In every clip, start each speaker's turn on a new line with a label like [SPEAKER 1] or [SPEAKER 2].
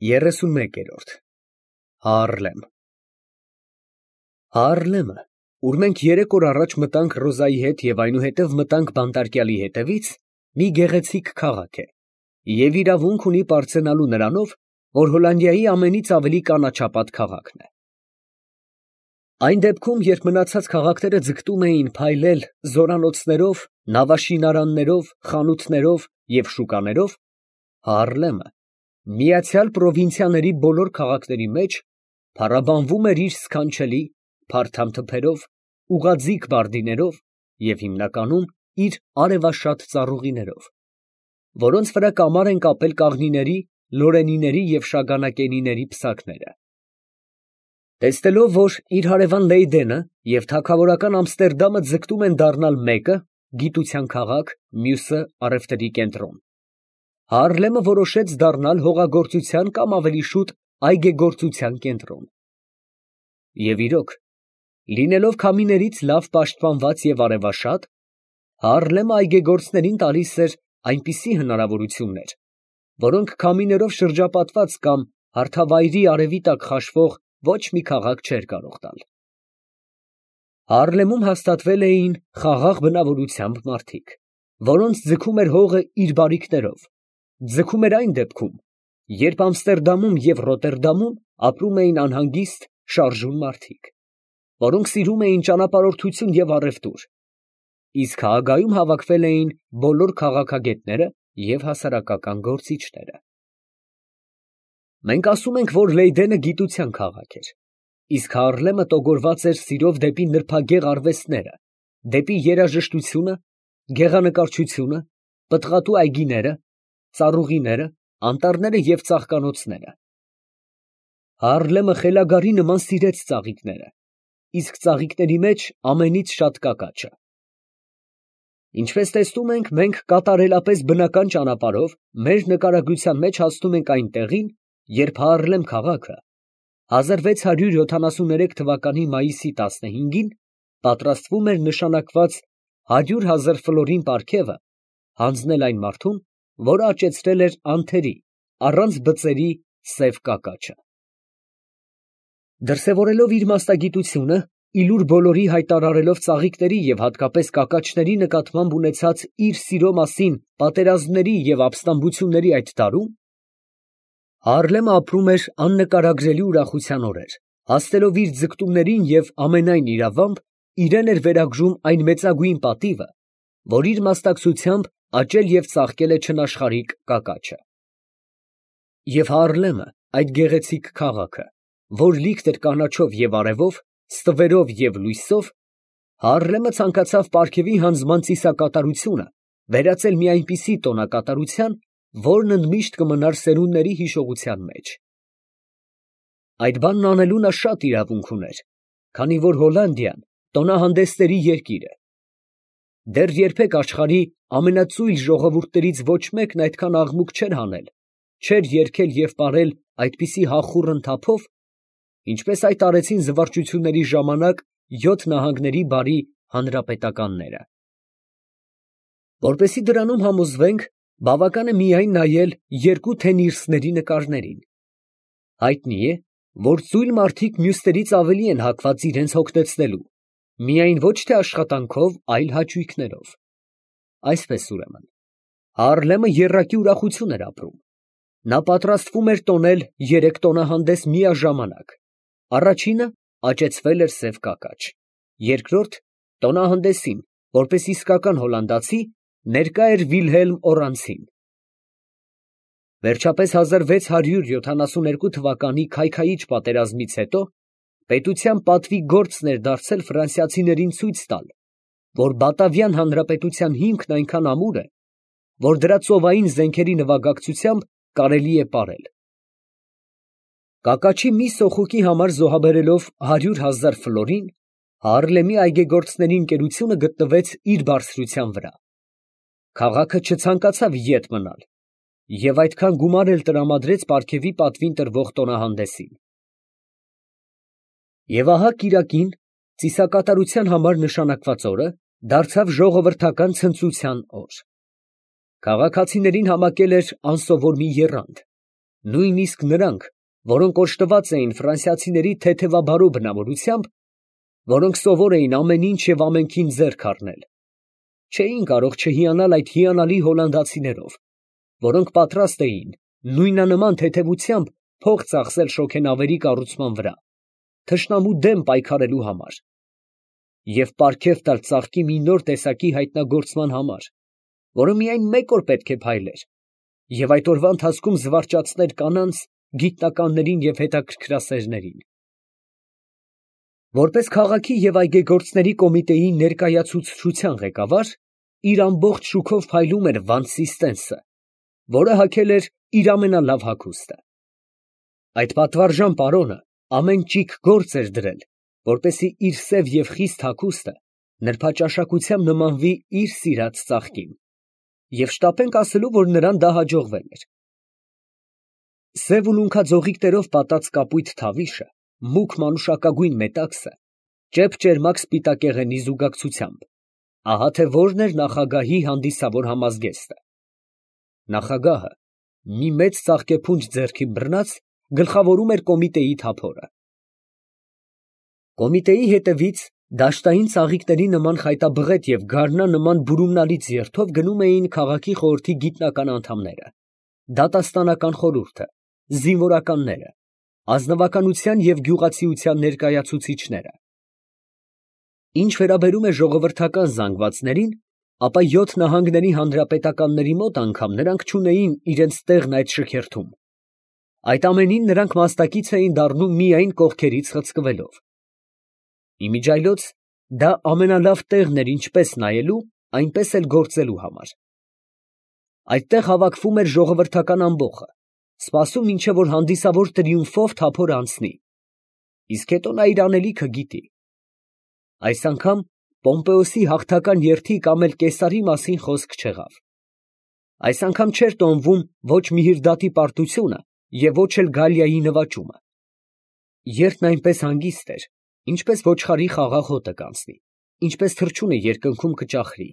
[SPEAKER 1] 31-րդ Հաառլեմ Հաառլեմը, ուր մենք 3 օր առաջ մտանք Ռոզայի հետ և այնուհետև մտանք բանտարկյալի հետևից, մի գեղեցիկ քաղաք է և իրավունք ունի պարծենալու նրանով, որ Հոլանդիայի ամենից ավելի կանաչապատ քաղաքն է։ Այն դեպքում, երբ մնացած քաղաքները ձգտում էին փայլել զորանոցներով, նավաշինարաններով, խանութներով և շուկաներով, Հաառլեմը միացյալ պրովինցիաների բոլոր քաղաքների մեջ փառաբանվում էր իր սքանչելի, փարթամ թփերով, ուղղաձիգ բարդիներով և հիմնականում իր արևաշատ ծառուղիներով, որոնց վրա կամար են կապել կաղնիների, լորենիների և շագանակենիների պսակները։ Տեսնելով, որ իր հարևան Լեյդենը և թագավորական Ամստերդամը ձգտում են դառնալ մեկը, գիտության քաղաք, մյուսը առևտրի կենտրոն, Հաառլեմը որոշեց դառնալ հողագործության կամ ավելի շուտ այգեգործության կենտրոն։ Եվ իրոք, լինելով քամիներից լավ պաշտպանված և արևաշատ, Հաառլեմը այգեգործներին տալիս էր այնպիսի հնարավորություններ, որոնք քամիներով շրջապատված կամ հարթավայրի արևի տակ խաշվող ոչ մի քաղաք չէր կարող տալ։ Հաառլեմում հաստատվել էին խաղաղ բնավորությամբ մարդիկ, որոնց ձգում էր հողը իր բարիքներով, ձգում էր այն դեպքում, երբ Ամստերդամում և Ռոտերդամում ապրում էին անհանգիստ, շարժուն մարդիկ, որոնք սիրում էին ճանապարհորդություն և առևտուր, իսկ Հաագայում հավաքվել էին բոլոր քաղաքագետները և հասարակական գործիչները։ Մենք ասում ենք, որ Լեյդենը գիտության քաղաք էր, իսկ Հաառլեմը տոգորված էր սիրով դեպի նրբագեղ արվեստները, դեպի երաժշտությունը, գեղանկարչությունը, պտղատու այգիները, ծառուղիները, անտառները և ծաղկանոցները։ Հաառլեմը խելագարի նման սիրեց ծաղիկները, իսկ ծաղիկների մեջ ամենից շատ կակաչը։ Ինչպես տեսնում ենք, մենք կատարելապես բնական ճանապարհով մեր նկարագրության մեջ հասնում ենք այն տեղին, երբ Հաառլեմ քաղաքը 1673 թվականի մայիսի 15-ին պատրաստվում էր նշանակված 100,000 ֆլորին պարգևը հանձնել այն մարդուն, որը աճեցրել էր անթերի, առանց բծերի սև կակաչը։ Դրսևորելով իր մասնագիտությունը, ի լուր բոլորի հայտարարելով ծաղիկների և հատկապես կակաչների նկատմամբ ունեցած իր սիրո մասին պատերազմների և ապստամբությունների այդ տարում, Հաառլեմը ապրում էր աննկարագրելի ուրախության օրեր, հասնելով իր ձգտումներին և ամենայն իրավամբ իրեն էր վերագրում այն մեծագույն պատիվը, որ իր մասնակցությամբ աճել և ծաղկել է չնաշխարհիկ կակաչը։ Եվ Հաառլեմը, այդ գեղեցիկ քաղաքը, որ լիքն էր կանաչով և արևով, ստվերով և լույսով, Հաառլեմը ցանկացավ պարգևի հանձնման ծիսակատարությունը վերածել մի այնպիսի տոնակատարության, որն ընդմիշտ կմնար սերունդների հիշողության մեջ։ Այդ բանն անելու նա շատ իրավունք ուներ, քանի որ Հոլանդիան տոնահանդեսների երկիր է։ Դեռ երբեք աշխարհի ամենածույլ ժողովուրդներից ոչ մեկն այդքան աղմուկ չէր հանել, չէր երգել և պարել այդպիսի հախուռն թափով, ինչպես այդ արեցին զվարճությունների ժամանակ 7 նահանգների բարի հանրապետականները։ Որպեսզի դրանում համոզվենք, բավական է միայն նայել երկու Թենիրսների նկարներին։ Հայտնի է, որ ծույլ մարդիկ մյուսներից ավելի են հակված իրենց հոգնեցնելու, միայն ոչ թե աշխատանքով, այլ հաճույքներով։ Այսպես ուրեմն, Հաառլեմը եռակի ուրախություն էր ապրում։ Նա պատրաստվում էր տոնել 3 տոնահանդես միաժամանակ. առաջինը աճեցվել էր սև կակաչ, երկրորդ տոնահանդեսին, որպես իսկական հոլանդացի, ներկա էր Վիլհելմ Օռանցին։ Վերջապես 1672 թվականի քայքայիչ պատերազմից հետո պետության պատվի գործն էր դարձել ֆրանսիացիներին ցույց տալ, որ Բատավյան հանրապետության հիմքն այնքան ամուր է, որ դրա ծովային զենքերի նվագակցությամբ կարելի է ապրել։ Կակաչի մի սոխուկի համար զոհաբերելով 100,000 ֆլորին, Հաառլեմի այգեգործների ընկերությունը գտնվեց իր բարձրության վրա։ Քաղաքը չցանկացավ ետ մնալ և այդքան գումար էլ տրամադրեց պարգևի պատվին տրվող տոնահանդեսին։ Եվ ահա կիրակին, ծիսակատարության համար նշանակված օրը, դարձավ ժողովրդական ցնծության օր։ Քաղաքացիներին համակել էր անսովոր մի եռանդ, նույնիսկ նրանք, որոնք օժտված էին ֆրանսիացիների թեթևաբարո բնավորությամբ, որոնք սովոր էին ամեն ինչ և ամենքին ձեռք առնել, չէին կարող չհիանալ այդ հիանալի հոլանդացիներով, որոնք պատրաստ էին նույնանման թեթևությամբ փող ծախսել շոգենավերի կառուցման վրա, թշնամու դեմ պայքարելու համար և պարգև տալ ծաղկի մի նոր տեսակի հայտնագործման համար, որը միայն մեկ օր պետք է փայլեր և այդ օրվա ընթացքում զվարճացներ կանանց, գիտնականներին և հետաքրքրասերներին։ Որպես քաղաքի և այգեգործների կոմիտեի ներկայացուցչության ղեկավար, իր ամբողջ շուքով փայլում էր Վանսիստենսը, որը հագել էր իր ամենալավ հագուստը։ Այդ պատվարժան պարոնը ամեն ճիգ գործ էր դրել, որպեսզի իր սև և խիստ հագուստը նրբաճաշակությամբ նմանվի իր սիրած ծաղկին, և շտապենք ասելու, որ նրան դա հաջողվել էր։ Սև ուլունքաձողիկներով պատած կապույտ թավիշը, մուգ մանուշակագույն մետաքսը, ճեպ֊ճերմակ սպիտակեղենի զուգակցությամբ, ահա թե որն էր նախագահի հանդիսավոր համազգեստը։ Նախագահը, մի մեծ ծաղկեփունջ ձեռքի բռնած, գլխավորում էր կոմիտեի թափորը։ Կոմիտեի հետևից դաշտային ծաղիկների նման խայտաբղետ և գարնան նման բուրումնալից երթով գնում էին քաղաքի խորհրդի գիտնական անդամները, դատաստանական խորհուրդը, զինվորականները, ազնվականության և գյուղացիության ներկայացուցիչները։ Ինչ վերաբերում է ժողովրդական զանգվածներին, ապա 7 նահանգների հանրապետականների մոտ անգամ նրանք չունեին իրենց տեղն այդ շքերթում։ Այդ ամենին նրանք մասնակից էին դառնում միայն կողքերից խցկվելով։ Իմիջիայլոց դա ամենալավ տեղն էր ինչպես նայելու, այնպես էլ գործելու համար։ Այդտեղ հավաքվում էր ժողովրդական ամբոխը, սպասում մինչև որ հանդիսավոր տրիումֆով թափորը անցնի, իսկ հետո նա իր անելիքը գիտի։ Այս անգամ Պոմպեոսի հաղթական երթի կամ էլ Կեսարի մասին խոսք չեղավ։ Այս անգամ չէր տոնվում ոչ Միհրդատի պարտությունը և ոչ էլ Գալիայի նվաճումը։ Երթն այնպես հանգիստ էր, ինչպես ոչխարի խաղաղ հոտը կանցնի, ինչպես թռչունը երկնքում կճախրի։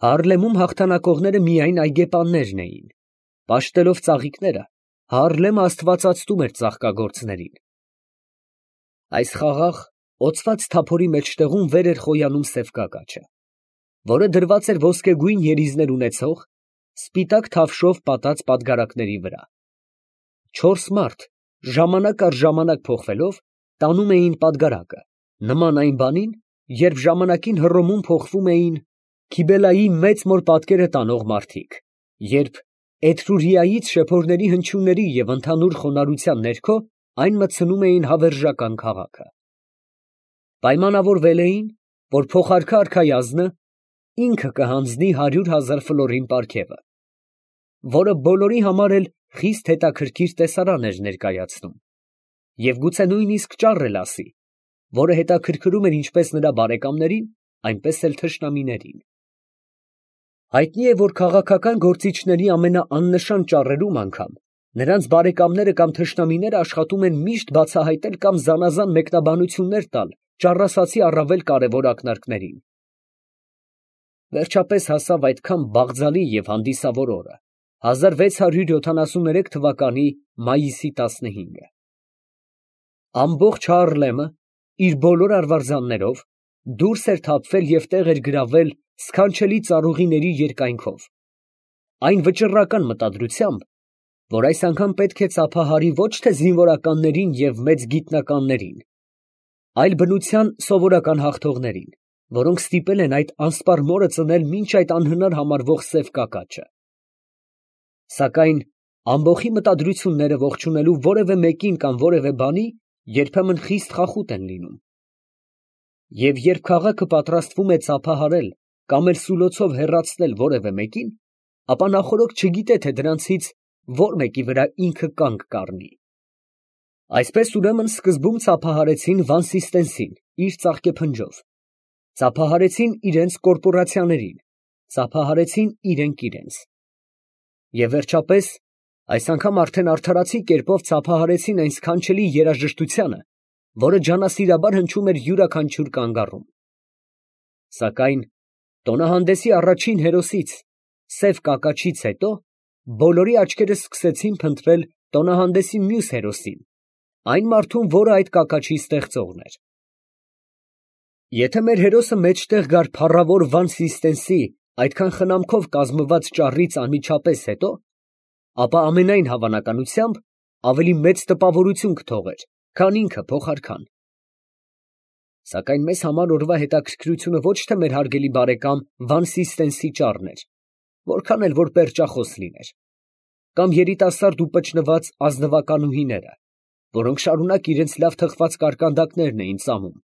[SPEAKER 1] Հաառլեմում հաղթանակողները միայն այգեպաններն էին։ Պաշտելով ծաղիկները, Հաառլեմը աստվածացնում էր ծաղկագործներին։ Այս խաղաղ, օծված թափորի մեջտեղում վեր էր խոյանում սև կակաչը, որը դրված էր ոսկեգույն երիզներ ունեցող, սպիտակ թավշով պատած պատգարակների վրա։ 4 մարդ, ժամանակ առ ժամանակ փոխվելով, տանում էին պատգարակը, նման այն բանին, երբ ժամանակին Հռոմում փոխվում էին Քիբելայի մեծ մոր պատկերը տանող մարդիկ, երբ Էթրուրիայից շեփորների հնչյունների և ընդհանուր խոնարհության ներքո այն մտցնում էին հավերժական քաղաքը։ Պայմանավորվել էին, որ փոխարքա արքայազնը ինքը կհանձնի 100,000 ֆլորին պարգևը, որը բոլորի համար էլ խիստ հետաքրքիր տեսարան էր ներկայացնում, և գուցե նույնիսկ ճառ էլ ասի, որը հետաքրքրում էր ինչպես նրա բարեկամներին, այնպես էլ թշնամիներին։ Հայտնի է, որ քաղաքական գործիչների ամենաաննշան ճառերում անգամ նրանց բարեկամները կամ թշնամիները աշխատում են միշտ բացահայտել կամ զանազան մեկնաբանություններ տալ ճառասացի առավել կարևոր ակնարկներին։ Վերջապես հասավ այդքան բաղձալի և հանդիսավոր օրը, 1673 թվականի մայիսի 15-ը։ Ամբողջ Հաառլեմը իր բոլոր արվարձաններով դուրս էր թափվել և տեղ էր գրավել սքանչելի ծառուղիների երկայնքով, այն վճռական մտադրությամբ, որ այս անգամ պետք է ծափահարի ոչ թե զինվորականներին և մեծ գիտնականներին, այլ բնության սովորական հաղթողներին, որոնք ստիպել են այդ անսպառ մորը ծնել մինչ այդ անհնար համարվող սև կակաչը։ Սակայն ամբոխի մտադրությունները ողջունելու որևէ մեկին կամ որևէ բանի երբեմն խիստ խախուտ են լինում։ Եվ երբ քաղաքը պատրաստվում է ծափահարել կամ էլ սուլոցով հեռացնել որևէ մեկին, ապա նախօրոք չգիտե, թե դրանցից որ մեկի վրա ինքը կանգ կառնի։ Այսպես ուրեմն սկզբում ծափահարեցին Վանսիստենսին իր ծաղկեփնջով, ծափահարեցին իրենց կորպորացիաներին, ծափահարեցին իրենք իրենց։ Եվ վերջապես, այս անգամ արդեն արդարացի կերպով ծափահարեցին այն սքանչելի երաժշտությանը, որը ջանասիրաբար հնչում էր յուրաքանչյուր կանգառում։ Սակայն տոնահանդեսի առաջին հերոսից՝ սև կակաչից հետո բոլորի աչքերը սկսեցին փնտրել տոնահանդեսի մյուս հերոսին, այն մարդուն, որը այդ կակաչի ստեղծողն էր։ Եթե մեր հերոսը մեջտեղ գար փառավոր Վան Սիստենսի այդքան խնամքով կազմված ճառից անմիջապես հետո, ապա ամենայն հավանականությամբ ավելի մեծ տպավորություն կթողեր, քան ինքը փոխարքան։ Սակայն մեզ համար օրվա հետաքրքրությունը ոչ թե մեր հարգելի բարեկամ Վան Սիստենսի ճառն էր, որքան էլ որ պերճախոս լիներ, կամ երիտասարդ ու պճնված ազնվականուհիները, որոնք շարունակ իրենց լավ թխված կարկանդակներն էին ծամում,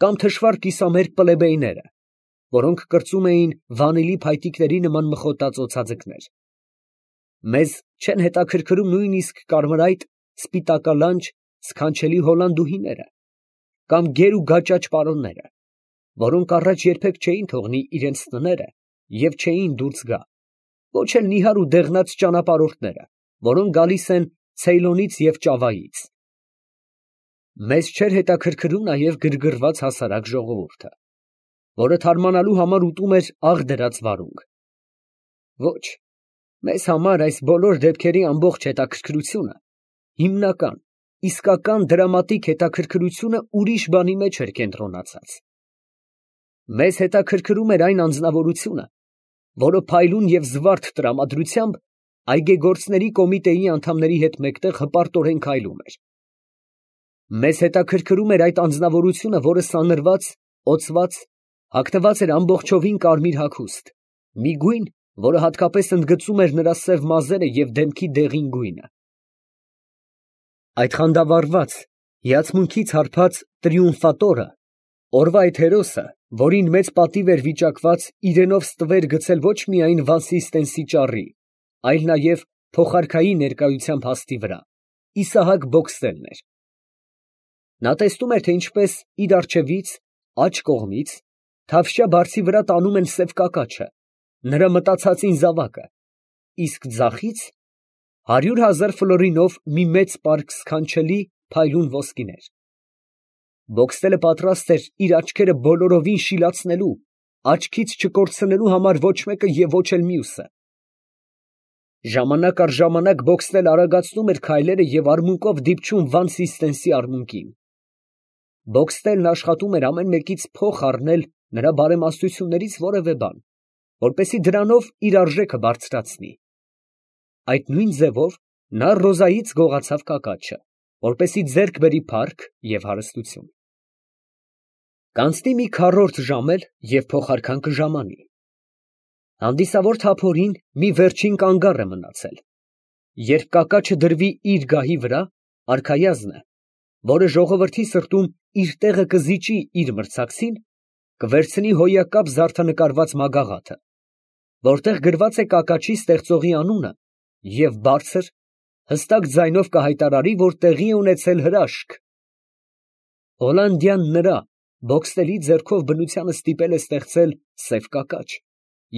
[SPEAKER 1] կամ թշվառ կիսամերկ պլեբեյները, որոնք կրծում էին վանիլի փայտիկների նման մխոտած օձաձկներ։ Մեզ չեն հետաքրքրում նույնիսկ կարմրայտ, սպիտակալանջ, սքանչելի հոլանդուհիները, կամ գեր ու գաճաճ պարոնները, որոնք առաջ երբեք չէին թողնի իրենց տները և չէին դուրս գա, ոչ էլ նիհար ու դեղնած ճանապարհորդները, որոնք գալիս են Ցեյլոնից և Ճավայից։ Մեզ չէր հետաքրքրում նաև գրգռված հասարակ ժողովուրդը, որը թարմանալու համար ուտում էր աղ դրած վարունգ։ Ոչ, մեզ համար այս բոլոր դեպքերի ամբողջ հետաքրքրությունը, հիմնական, իսկական դրամատիկ հետաքրքրությունը ուրիշ բանի մեջ էր կենտրոնացած։ Մեզ հետաքրքրում էր այն անձնավորությունը, որը փայլուն և զվարթ տրամադրությամբ այգեգործների կոմիտեի անդամների հետ մեկտեղ հպարտորեն քայլում էր։ Մեզ հետաքրքրում էր այդ անձնավորությունը, որը սանրված, օծված, հագնված էր ամբողջովին կարմիր հագուստ, մի գույն, որը հատկապես ընդգծում էր նրա սև մազերը և դեմքի դեղին գույնը։ Այդ խանդավառված, հիացմունքից հարբած տրիումֆատորը, օրվա այդ հերոսը, որին մեծ պատիվ էր վիճակված իրենով ստվեր գցել ոչ միայն Վան Սիստենսի ճառի, այլ նաև փոխարքայի ներկայությամբ հաստի վրա, Իսահակ Բոքստելն էր։ Նա տեսնում էր, թե ինչպես իր առջևից, աջ կողմից, թավշյա բարձի վրա տանում են սև կակաչը, նրա մտացածին զավակը, իսկ ձախից 100,000 ֆլորինով մի մեծ պարկ սքանչելի, փայլուն ոսկիներ։ Բոքստելը պատրաստ էր իր աչքերը բոլորովին շիլացնելու, աչքից չկորցնելու համար ոչ մեկը և ոչ էլ մյուսը։ Ժամանակ առ ժամանակ Բոքստելը արագացնում էր քայլերը և արմունկով դիպչում Վան Սիստենսի արմունկին։ Բոքստելն աշխատում էր ամեն մեկից փող առնել նրա բարեմաստություններից որևէ բան, որպեսզի դրանով իր արժեքը բարձրացնի։ Այդ նույն ձևով նա Ռոզայից գողացավ կակաչը, որպեսզի ձեռք բերի փառք և հարստություն։ Կանցնի մի քառորդ ժամ էլ, և փոխարքան կժամանի։ Հանդիսավոր թափորին մի վերջին կանգառ է մնացել։ Երբ կակաչը դրվի իր գահի վրա, արքայազնը, որը ժողովրդի սրտում իր տեղը կզիջի իր մրցակցին, կվերցնի հոյակապ զարդանկարված մագաղաթը, որտեղ գրված է կակաչի ստեղծողի անունը, և բարձր, հստակ ձայնով կհայտարարի, որ տեղի է ունեցել հրաշք։ Հոլանդյան նրա Բոքստելի ձեռքով բնությանը ստիպել է ստեղծել սև կակաչ,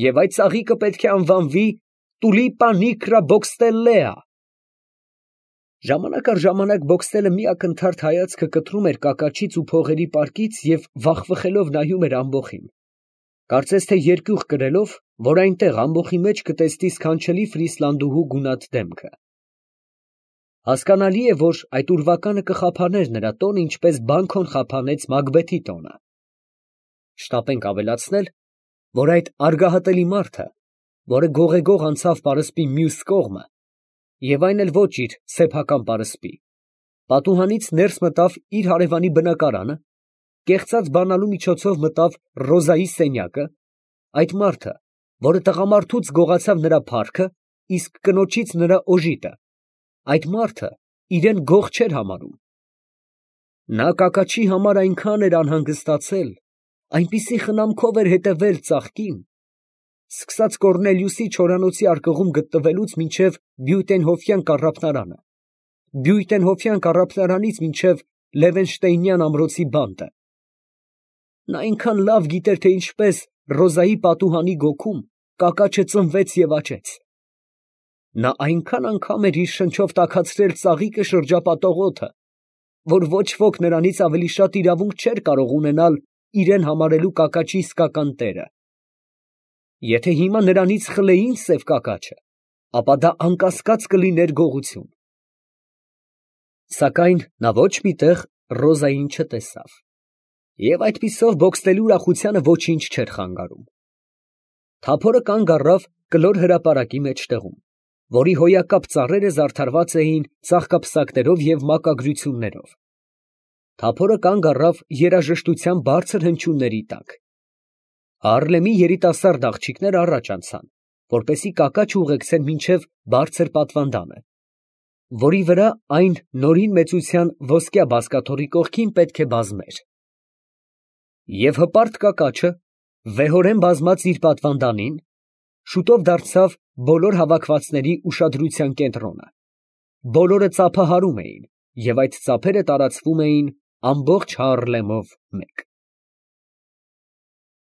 [SPEAKER 1] և այդ ծաղիկը պետք է անվանվի Տուլիպա նիկրա Բոքստելլեա։ Ժամանակ առ ժամանակ Բոքստելը մի ակնթարթ հայացքը կտրում էր կակաչից ու փողերի պարկից և վախվխելով նայում էր ամբոխին, կարծես թե երկյուղ կրելով, որ այնտեղ ամբոխի մեջ կտեսնի սքանչելի ֆրիսլանդուհու գունատ դեմքը։ Հասկանալի է, որ այդ ուրվականը կխափաներ նրա տոնը, ինչպես Բանքոն խափանեց Մակբեթի տոնը։ Շտապենք ավելացնել, որ այդ արգահատելի մարդը, որը գողեգող անցավ պարսպի մյուս կողմը, և այն էլ ոչ իր սեփական պարսպի, պատուհանից ներս մտավ իր հարևանի բնակարանը, կեղծած բանալու միջոցով մտավ Ռոզայի սենյակը, այդ մարդը, որը տղամարդուց գողացավ նրա փառքը, իսկ կնոջից նրա օժիտը, այդ մարդը իրեն գող չէր համարում։ Նա կակաչի համար այնքան էր անհանգստացել, այնպիսի խնամքով էր հետևել ծաղկին, սկսած Կոռնելիուսի չորանոցի արկղում գտնվելուց մինչև Բյուտենհոֆյան կառափնարանը, Բյուտենհոֆյան կառափնարանից մինչև Լևենշտեյնյան ամրոցի բանտը։ Նա այնքան լավ գիտեր, թե ինչպես Ռոզայի պատուհանի գոգում կակաչը ծնվեց և աճեց։ Նա այնքան անգամ էր իր շնչով տաքացրել ծաղիկը շրջապատող օդը, որ ոչ ոք նրանից ավելի շատ իրավունք չէր կարող ունենալ իրեն համարելու կակաչի իսկական տերը։ Եթե հիմա նրանից խլեին սև կակաչը, ապա դա անկասկած կլիներ գողություն։ Սակայն նա ոչ մի տեղ Ռոզային չտեսավ, և այդպիսով բոքսնելու ուրախությանը ոչինչ չէր խանգարում։ Թափորը կանգ առավ կլոր հրապարակի մեջտեղում, որի հոյակապ ծառերը զարդարված էին ծաղկափսակներով և մակագրություններով։ Թափորը կանգ առավ երաժշտության բարձր հնչյունների տակ։ Հարլեմի երիտասարդ աղջիկները առաջ անցան, որպեսզի կակաչ ուղեկցեն մինչև բարձր պատվանդանը, որի վրա այն նորին մեծության ոսկյա բազկաթոռի կողքին պետք է բազմեր։ Եվ հպարտ կակաչը, վեհորեն բազմած իր պատվանդանին, շուտով դարձավ բոլոր հավաքվածների ուշադրության կենտրոնը։ Բոլորը ծափահարում էին, և այդ ծափերը տարածվում էին ամբողջ Հարլեմով մեկ։